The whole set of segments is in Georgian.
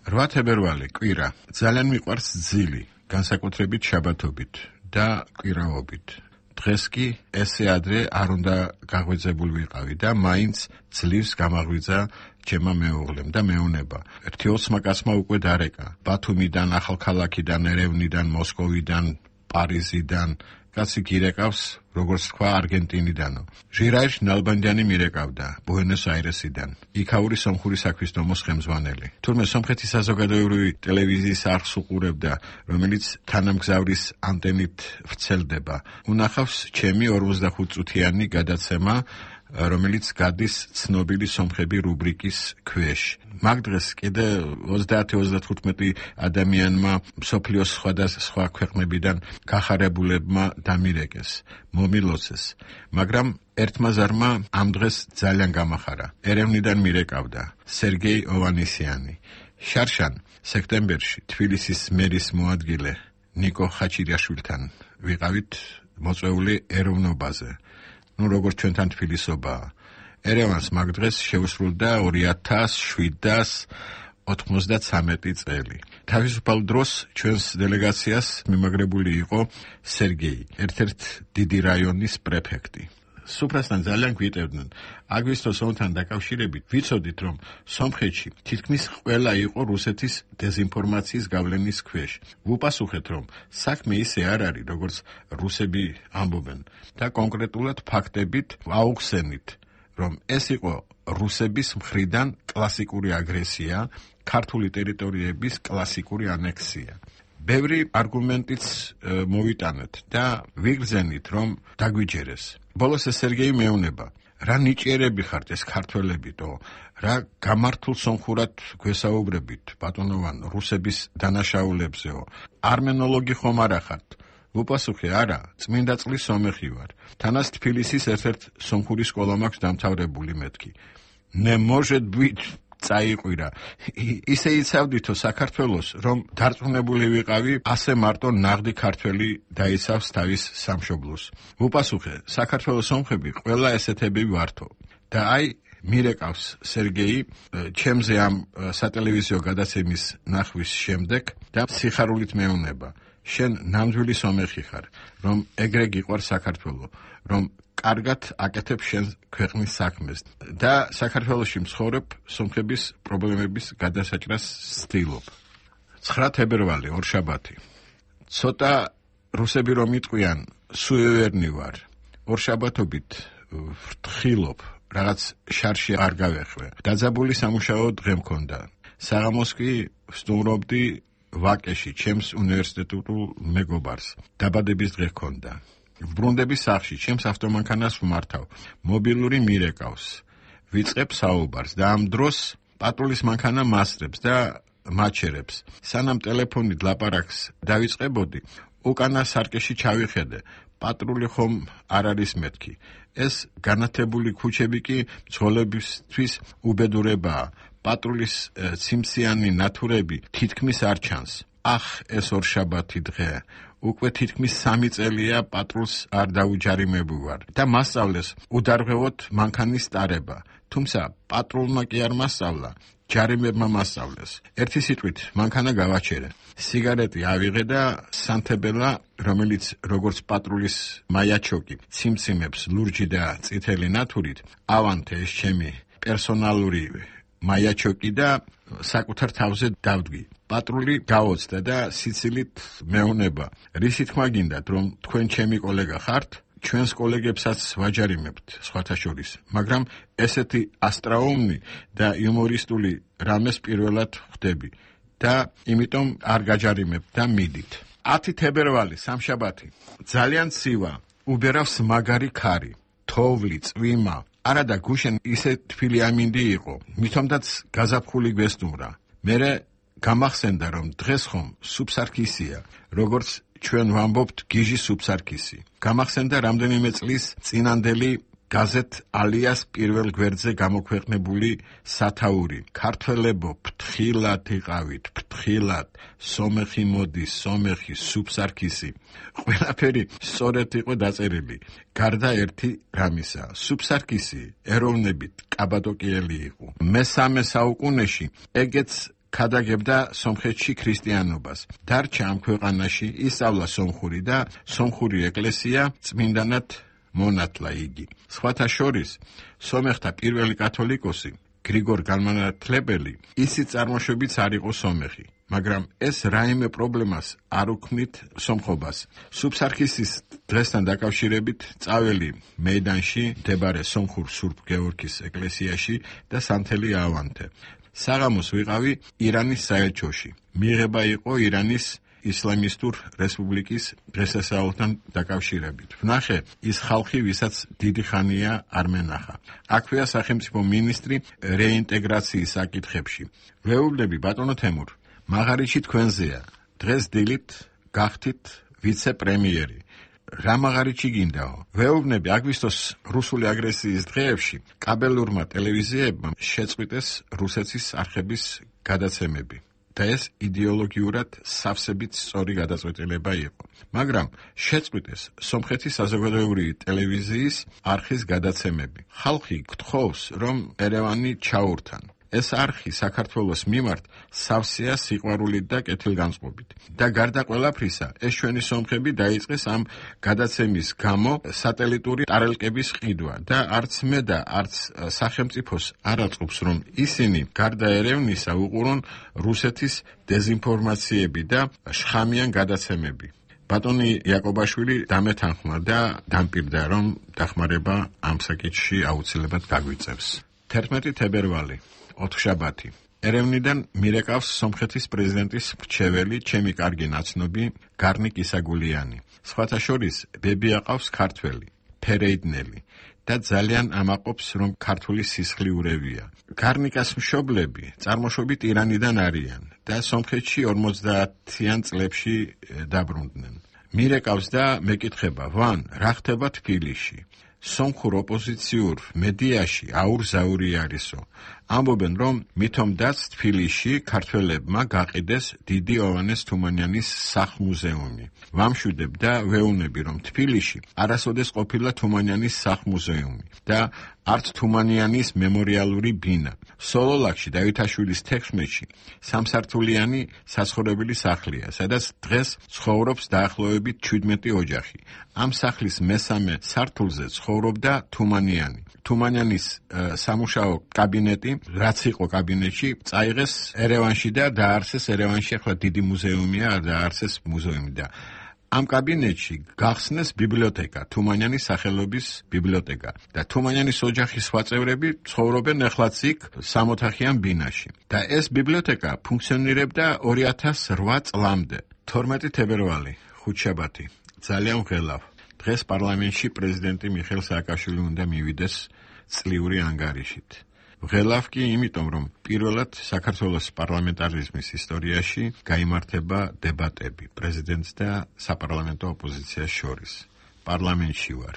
8 თებერვალი კვირა ძალიან მიყვარს ძილი, განსაკუთრებით შაბათობით და კვირაობით. დღეს კი ესე ადრე არ უნდა გაღვიძებული ვიყავი და მაინც ძლივს გამაღვიძა ჩემმა მეუღლემ და მეუნება. ერთი ოცმა კაცმა უკვე დარეკა. ბათუმიდან, ახალქალაქიდან, ერევნიდან, მოსკოვიდან, პარიზიდან კაცი გირეკავს, როგორც თქვა, არგენტინიდანო. ჟირაჟ ნალბანდიანი მირეკავდა ბუენოს-აირესიდან. იქაური სომხური საქმისდომოს ხელმძღვანელი. თურმე სომხეთის საზოგადოებრივი ტელევიზიის არხს უყურებდა, რომელიც თანამგზავრის ანტენით ვრცელდება. უნახავს ჩემი 45 წუთიანი გადაცემა, რომელიც გადის ცნობილი სომხები რუბრიკის ქვეშ. მაგ დღეს კიდე 30-35 ადამიანმა მსოფლიოს სხვადასხვა ქვეყნებიდან გახარებულებმა დამირეკეს, მომილოცეს, მაგრამ ერთმა ზარმა ამ დღეს ძალიან გამახარა. ერევნიდან მირეკავდა სერგეი ოვანესიანი. შარშან სექტემბერში თბილისის მერის მოადგილე ნიკო ხაჩირიაშვილთან ვიყავით მოწვეული ეროვნობაზე. როგორც ჩვენთან თბილისობაა. ერევანს მაგ დღეს შეუსრულდა 2793 წელი. თავისუფალ დროს ჩვენს დელეგაციას მიმაგრებული იყო სერგეი, ერთ-ერთ დიდი რაიონის პრეფექტი. სუფრასთან ძალიან გვიტევდნენ. აგვისტოს ომთან დაკავშირებით ვიცოდით, რომ სომხეთში თითქმის ყველა იყო რუსეთის დეზინფორმაციის გავლენის ქვეშ. ვუპასუხეთ, რომ საქმე ისე არ არის, როგორც რუსები ამბობენ და კონკრეტულად ფაქტებით აუხსენით, რომ ეს იყო რუსების მხრიდან კლასიკური აგრესია, ქართული ტერიტორიების კლასიკური ანექსია. ბევრი არგუმენტიც მოვიტანეთ და ვიგრძენით, რომ დაგვიჯერეს. ბოლოს ეს სერგეი მეუნება. რა ნიჭიერები ხართ ეს ქართველებითო, რა გამართულ სომხურად გვესაუბრებით, ბატონოვან, რუსების დანაშაულებზეო. არმენოლოგი ხომ არა ხართ? ვუპასუხე, არა, წმინდა წყლის სომეხი ვარ. თანაც თბილისის ერთ-ერთ სომხური სკოლა მაქვს დამთავრებული მეთქი. Ne может быть წაიყვირა. ისე იცავდითო საქართველოს, რომ დარწმუნებული ვიყავი, ასე მარტო ნაღდი ქართველი დაიცავს თავის სამშობლოს. ვუპასუხე, საქართველოს სომხები ყველა ესეთები ვართო. და აი მირეკავს სერგეი ჩემზე ამ სატელევიზიო გადაცემის ნახვის შემდეგ და სიხარულით მეუნება. შენ ნამდვილი სომეხი ხარ, რომ ეგრე გიყვარს საქართველო, რომ კარგად აკეთებ შენ ქვეყნის საქმეს და საქართველოში მცხოვრებ სომხების პრობლემების გადასაჭრას ცდილობ. 9 თებერვალი ორშაბათი. ცოტა რუსები რომ იტყვიან, სუევერნი ვარ. ორშაბათობით ვრთხილობ, რაღაც შარში არ გავეხვე. დაძაბული სამუშაო დღე მქონდა. საღამოს კი ვსტუმრობდი ვაკეში, ჩემს უნივერსიტეტულ მეგობარს. დაბადების დღე ჰქონდა. ვბრუნდები სახლში, ჩემს ავტომანქანას ვმართავ. მობილური მირეკავს. ვიწყებ საუბარს და ამ დროს პატრულის მანქანა მასწრებს და მაჩერებს. სანამ ტელეფონით ლაპარაკს დავიწყებოდი, უკანა სარკეში ჩავიხედე. პატრული ხომ არ არის მეთქი. ეს განათებული ქუჩები კი მძღოლებისთვის უბედურებაა. პატრულის ციმციანი ნათურები თითქმის არ ჩანს. ახ, ეს ორშაბათი დღე. უკვე თითქმის 3 წელია პატრულს არ დაუჯარიმებულ ვარ და მასწავლეს უდარღვევოთ მანქანის ტარება. თუმცა პატრულმა კი არ მასწავლა, ჯარიმებმა მასწავლეს. ერთი სიტყვით მანქანა გავაჩერე. სიგარეტი ავიღე და სანთებელა, რომელიც როგორც პატრულის მაიაჩოკი ციმციმებს ლურჯი და წითელი ნათურით, ავანთე ეს ჩემი პერსონალური მაიაჩოკი და საკუთარ თავზე დავდგი. პატრული გაოცდა და სიცილით მეუნება. რისი თქმა გინდათ, რომ თქვენ ჩემი კოლეგა ხართ? ჩვენს კოლეგებსაც ვაჯარიმებთ, სხვათა შორის, მაგრამ ესეთი ასტრაუმნი და იუმორისტული რამეს პირველად ხვდები და იმიტომ არ გაჯარიმებთ და მიდით. 10 თებერვალი, სამშაბათი. ძალიან ცივა, უბერავს მაგარი ქარი, თოვლი, წვიმა. არადა გუშენ ისე თბილი ამინდი იყო, მithomdაც გაზაფხული გვესტუმრა. მერე გამახსენდა, რომ დღეს ხომ სუბსარქისია, როგორც ჩვენ ვამბობთ გიჟი სუბსარქისი. გამახსენდა რამდენიმე წლის წინანდელი გაზეთ ალიას პირველ გვერდზე გამოქვეყნებული სათაური. ქართველებო, ფრთხილად იყავით, ფრთხილად, სომეხი მოდის, სომეხი, სუბსარქისი. ყველაფერი სწორედ იყო დაწერილი. გარდა ერთი რამისა, სუბსარქისი ეროვნებით კაბადოკიელი იყო. მე-3 საუკუნეში ეგეც ქადაგებდა სომხეთში ქრისტიანობას. დარჩა ამ ქვეყანაში, ისწავლა სომხური და სომხური ეკლესია წმინდანად მონათლა იგი. სხვათა შორის, სომეხთა პირველი კათოლიკოსი გრიგორ განმანათლებელი ისიც წარმოშობით არ იყო სომეხი, მაგრამ ეს რაიმე პრობლემას არ უქმნით სომხობას. სუფსარქისის დღესთან დაკავშირებით წაველი მეიდანში მდებარე სომხურ სურბ გეორგის ეკლესიაში და სანთელი ავანთე. საღამოს ვიყავი ირანის საელჩოში. მიღება იყო ირანის ისლამისტურ რესპუბლიკის დღესასწაულთან დაკავშირებით. ვნახე ის ხალხი, ვისაც დიდი ხანია არ მენახა. აქვეა სახელმწიფო მინისტრი რეინტეგრაციის საკითხებში. ვეუბნები ბატონო თემურ, მაღარიში თქვენზეა. დღეს დილით გახთით ვიცე-პრემიერი. რა მაღარიჩი გინდაო? ვეუბნები აგვისტოს რუსული აგრესიის დღეებში კაბელურმა ტელევიზიებმა შეწყვიტეს რუსეთის არხების გადაცემები. და ეს იდეოლოგიურად სავსებით სწორი გადაწყვეტილება იყო. მაგრამ შეწყვიტეს სომხეთის საზოგადოებრივი ტელევიზიის არხის გადაცემები. ხალხი გთხოვს, რომ ერევანი ჩაურთან. ეს არხი საქართველოს მიმართ სავსეა სიყვარულით და კეთილგანწყობით. და გარდა ყველაფრისა, ეს ჩვენი სომხები დაიწყეს ამ გადაცემის გამო სატელიტური ტარელკების ყიდვა და არც მე და არც სახელმწიფოს არ აწყობს, რომ ისინი გარდა ერევნისა უყურონ რუსეთის დეზინფორმაციები და შხამიან გადაცემები. ბატონი იაკობაშვილი დამეთანხმა და დამპირდა, რომ დახმარება ამ საკითხში აუცილებლად გაგვიწევს. 11 თებერვალი ოთხშაბათი. ერევნიდან მირეკავს სომხეთის პრეზიდენტის მრჩეველი, ჩემი კარგი ნაცნობი გარნიკ ისაგულიანი. სხვათა შორის ბები აყავს ქართველი, ფერეიდნელი და ძალიან ამაყობს, რომ ქართული სისხლი ურევია. გარნიკას მშობლები წარმოშობით ირანიდან არიან და სომხეთში 50-იან წლებში დაბრუნდნენ. მირეკავს და მეკითხება, ვან, რა ხდება თბილისში? სომხურ ოპოზიციურ მედიაში აურზაური არისო. ამბობენ, რომ მithomdაც თბილისში ქართველებმა გაყიდეს დიდი ოვანეს თუმანიანის სახლ-მუზეუმი. ვამშვიდებ და ვეუბნები, რომ თბილისში არასოდეს ყოფილა თუმანიანის სახლ-მუზეუმი და არც თუმანიანის მემორიალური ბინა. სოლოლაკში დავითაშვილის 16-ში სამსართულიანი საცხოვრებელი სახლია, სადაც დღეს ცხოვრობს დაახლოებით 17 ოჯახი. ამ სახლის მესამე სართულზე ცხოვრობდა თუმანიანი. თუმანიანის სამუშაო კაბინეტი, რაც იყო კაბინეტში, წაიღეს ერევანში და დაარსეს ერევანში, ახლა დიდი მუზეუმია, დაარსეს მუზეუმი და ამ კაბინეტში გახსნეს ბიბლიოთეკა, თუმანიანის სახელობის ბიბლიოთეკა და თუმანიანის ოჯახის სხვა წევრები ცხოვრობენ ახლაც იქ 60-ოთახიან ბინაში. და ეს ბიბლიოთეკა ფუნქციონირებდა 2008 წლამდე. 12 თებერვალი, ხუთშაბათი. ძალიან ვღელავ. დღეს პარლამენტში პრეზიდენტი მიხეილ სააკაშვილი უნდა მივიდეს წლიური ანგარიშით. ვღელავ კი იმიტომ, რომ პირველად საქართველოს პარლამენტარიზმის ისტორიაში გაიმართება დებატები პრეზიდენტს და საპარლამენტო ოპოზიციას შორის. პარლამენტში ვარ.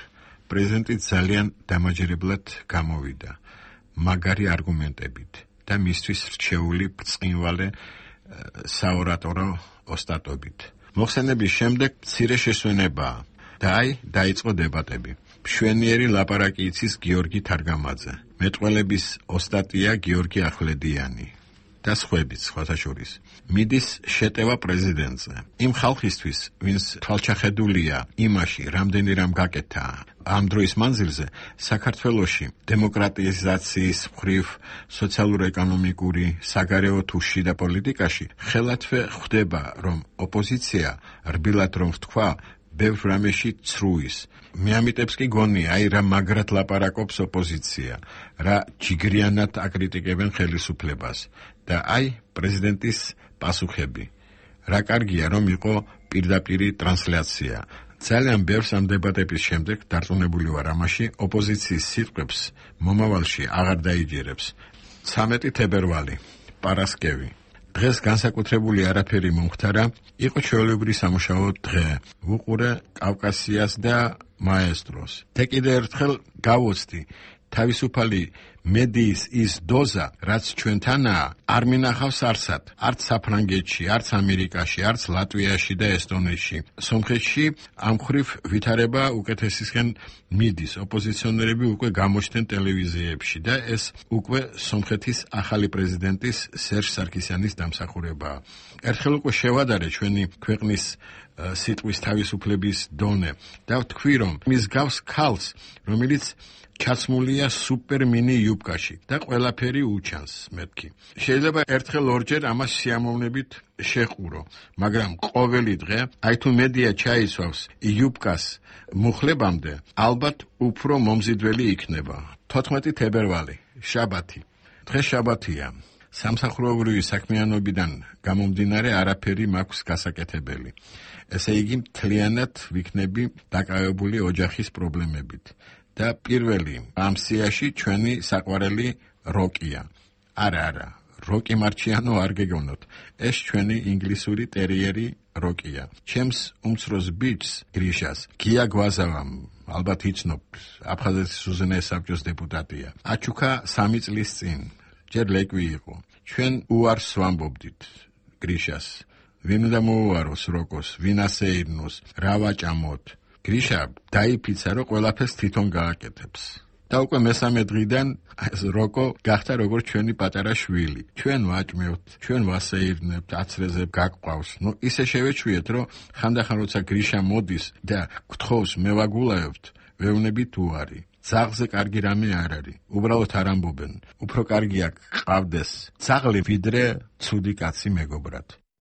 პრეზიდენტი ძალიან დამაჯერებლად გამოვიდა, მაგარი არგუმენტებით და მისთვის რჩეული ბრწყინვალე საორატორო ოსტატობით. მოხსენების შემდეგ მცირე შესვენებაა და დაიწყო დებატები. მშვენიერი ლაპარაკი იცის გიორგი თარგამაძე. მეტყველების ოსტატია გიორგი ახვლედიანი და სხვაებიც, სხვათა შორის. მიდის შეტევა პრეზიდენტზე. იმ ხალხისთვის, ვინც თვალჩახედულია იმაში, რამდენი რამ გაკეთა ამ დროის მანძილზე, საქართველოში დემოკრატიზაციის მხრივ, სოციალურ-ეკონომიკური, საგარეო თუ შიდა პოლიტიკაში ხელათვე ხვდება, რომ ოპოზიცია, რბილად რომ ვთქვა, ბევრ რამეში ცრუის. მე ამიტებს კი გონია, რა მაგრად ლაპარაკობს ოპოზიცია, რა ჯიგრიანად აკრიტიკებენ ხელისუფლებას და პრეზიდენტის პასუხები. რა კარგია, რომ იყო პირდაპირი ტრანსლაცია. ძალიან ბევრს ამ დებატების შემდეგ დარწმუნებული ვარ ამაში, ოპოზიციის სიტყვებს მომავალში აღარ დაიჯერებს. 13 თებერვალი, პარასკევი. დღეს განსაკუთრებული არაფერი მომხდარა, იყო ჩვეულებრივი სამუშაო დღე. ვუყურე კავკასიას და მაესტროს. და კიდევ ერთხელ გავოცდი, თავისუფალი მედიის ის დოზა, რაც ჩვენთანაა, არ მინახავს არსად. არც საფრანგეთში, არც ამერიკაში, არც ლატვიაში და ესტონეთში. სომხეთში ამ ხრივ ვითარება უკეთესისკენ მიდის. ოპოზიციონერები უკვე გამოჩნდნენ ტელევიზიებში და ეს უკვე სომხეთის ახალი პრეზიდენტის სერჟ სარქისიანის დამსახურებაა. ერთხელ უკვე შევადარე ჩვენი ქვეყნის სიტყვის თავისუფლების დონე და ვთქვი, რომ მის გავს ქალს, რომელიც ჩაცმულია სუპერ მინი იუბკაში და ყველაფერი უჩანს მეთქი. შეიძლება ერთხელ ორჯერ ამას სიამოვნებით შეყურო, მაგრამ ყოველი დღე, აი თუ მედია ჩაისვავს იუბკას მუხლებამდე, ალბათ უფრო მომზიდველი იქნება. 14 თებერვალი, შაბათი. დღე შაბათია. სამსახურებრივი საქმიანობიდან გამომდინარე არაფერი მაქვს გასაკეთებელი. ესე იგი, მთლიანად ვიქნები დაკავებული ოჯახის პრობლემებით. და პირველი ამ სიაში ჩვენი საყვარელი როკია. არა, როკი მარჩიანო არ გეგონოთ. ეს ჩვენი ინგლისური ტერიერი როკია. ჩემს უმცროს ბიჭს, გრიშას, გია გვაზავამ, ალბათ იცნობ, აფხაზეთის უზენაეს საბჭოს დეპუტატია. აჩუქა 3 წლის წინ, ჯერ ლეკვი იყო. ჩვენ უარს ვამბობდით გრიშას. ვინ უნდა მოუაროს როკოს, ვინ ასეირნოს, რა ვაჭამოთ. გრიშა დაიფიცა, რომ ყველაფერს თვითონ გააკეთებს. და უკვე მესამე დღიდან ეს როკო გახდა როგორც ჩვენი პატარა შვილი. ჩვენ ვაჭმევთ, ჩვენ ვასეირნებთ, აცრეზე გაყავს. ისე შევეჩვიეთ, რომ ხანდახან როცა გრიშა მოდის და გთხოვს მე ვაგულაებთ, ვეუბნებით უარი. ძაღლზე კარგი რამე არ არის. უბრალოდ არ ამბობენ. უფრო კარგია გყავდეს ძაღლი, ვიდრე ცუდი კაცი მეგობრად.